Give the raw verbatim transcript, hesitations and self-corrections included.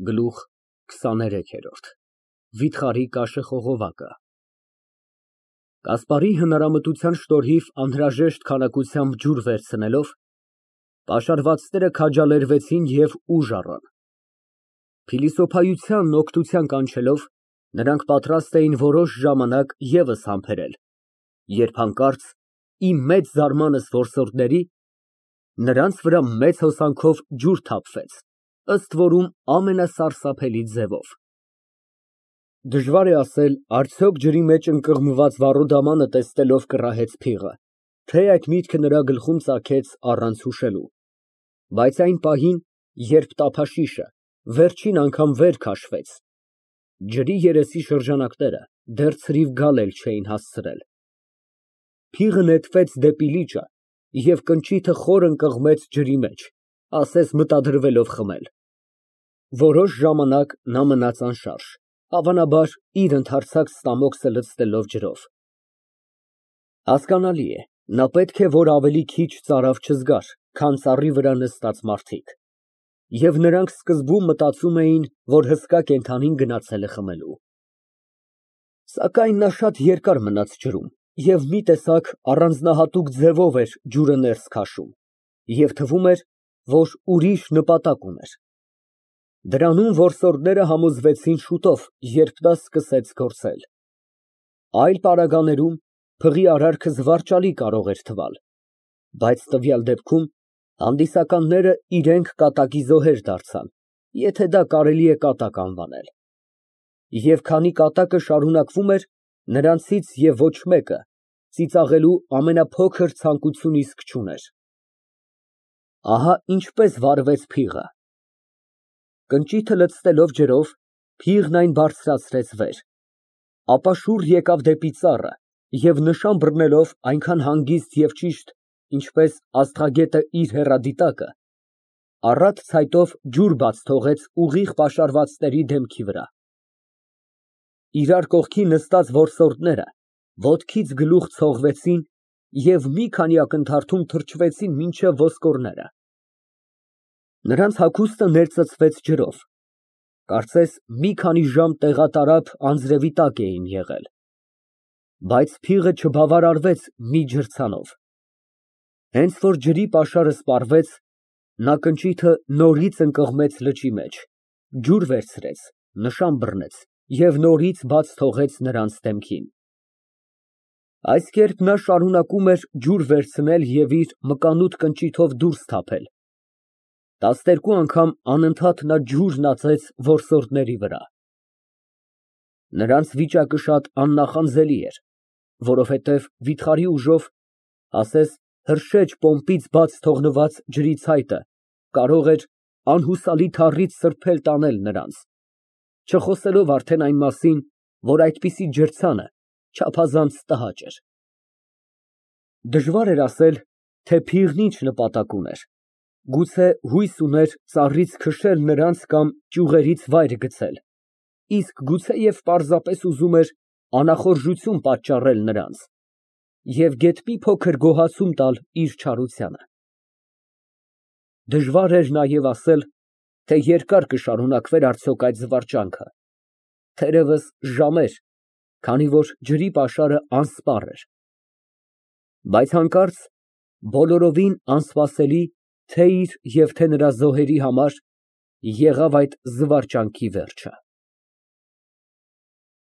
Գլուխ քսաներեք։ Վիթխարի կաշեխողովակը Կասպարի հնարամտության շնորհիվ անհրաժեշտ քանակությամբ ջուր վերցնելով, պաշարվածները քաջալերվեցին և ուժ առան։ Փիլիսոփայությանն օգնության կանչելով, նրանք պատրաստ էին որոշ ժամանակ ևս համբերել, երբ հանկարծ, իմ մեծ զարմանս որսորդների, նրանց վրա մեծ հոսանքով ջուր թափվեց, ըստ որում ամենասարսափելի ձևով։ Դժվար է ասել, արդյոք ջրի մեջ ընկղմված վառոդամանը տեսնելով կռահեց փիղը, թե այդ միտքը նրա գլխում ծագեց առանց հուշելու, բայց այն պահին, երբ տափաշիշը վերջին անգամ վեր քաշվեց, ջրի երեսի շրջանակները դեռ ցրիվ գալ էլ չէին հասցրել։ Փիղը նետվեց դեպի լիճը և կնճիթը խոր ընկղմեց ջրի մեջ, ասես մտադրվելով խմել։ Որոշ ժամանակ նա մնաց անշարժ, հավանաբար, իր ընդարձակ ստամոքսը լցնելով ջրով։ Հասկանալի է, նա պետք է որ ավելի քիչ ծարավ չզգար, քան ծառի վրա նստած մարդիկ, և նրանք սկզբում մտածում էին, որ հսկա կենդանին գնացել է խմելու։ Սակայն նա շատ երկար մնաց ջրում և մի տեսակ առանձնահատուկ ձևով էր ջուրը ներս քաշում, և թվում էր, որ ուրիշ նպատակ ուներ։ Դրանում որսորդները համոզվեցին շուտով, երբ նա սկսեց գործել։ Այլ պարագաներում փղի արարքը զվարճալի կարող էր թվալ, բայց տվյալ դեպքում հանդիսականները իրենք կատակի զոհեր դարձան, եթե դա կարելի է կատակ անվանել։ Եվ քանի կատակը շարունակվում էր, նրանցից և ոչ մեկը ծիծաղելու ամենափոքր ցանկություն իսկ չուներ։ Ահա ինչպես վառվեց փիղը։ Կնճիթը լցնելով ջրով, փիղն այն բարձրացրեց վեր, ապա շուռ եկավ դեպի ծառը և նշան բռնելով այնքան հանգիստ և ճիշտ, ինչպես աստղագետը իր հեռադիտակը, առատ ցայտով ջուր բաց թողեց ուղիղ պաշարվածների դեմքի վրա։ Իրար կողքի նստած որսորդները ոտքից գլուխ ցողվեցին և մի քանի ակնթարթում թրջվեցին մինչև ոսկորները։ Նրանց հագուստը ներծծվեց ջրով, կարծես մի քանի ժամ տեղատարափ անձրևի տակ էին եղել, բայց փիղը չբավարարվեց մի ջրցանով։ Հենց որ ջրի պաշարը սպառվեց, նա կնճիթը նորից ընկղմեց լճի մեջ, ջուր վերցրեց, նշան բռնեց և նորից բաց թողեց նրանց դեմքին։ Այս կերպ նա շարունակում էր ջուր վերցնել և իր մկանուտ կնճիթով դուրս թափել։ Տասներկու անգամ անընդհատ նա ջուրն ածեց որսորդների վրա։ Նրանց վիճակը շատ աննախանձելի էր, որովհետև վիթխարի ուժով, ասես հրշեջ պոմպից բաց թողնված ջրի ցայտը, կարող էր անհուսալի թառիթ սրբել տանել նրանց, չխոսելով արդեն այն մասին, որ այդպիսի ջրցանը չափազանց տհաճ էր։ Դժվար էր ասել, թե փիղն ինչ նպատակ ուներ, գուցե հույս ուներ ծառից քշել նրանց կամ ճյուղերից վայր գցել, իսկ գուցեև պարզապես ուզում էր անախորժություն պատճառել նրանց և գեթ մի փոքր գոհացում տալ իր չարությանը։ Դժվար էր նաև ասել, թե երկար կշարունակվեր արդյոք այդ զվարճանքը, թերևս ժամեր, քանի որ ջրի պաշարը անսպառ էր։ Բայց հանկարծ, բոլորովին անսպասելի, թե իր և թե նրա զոհերի համար, եղավ այդ զվարճանքի վերջը։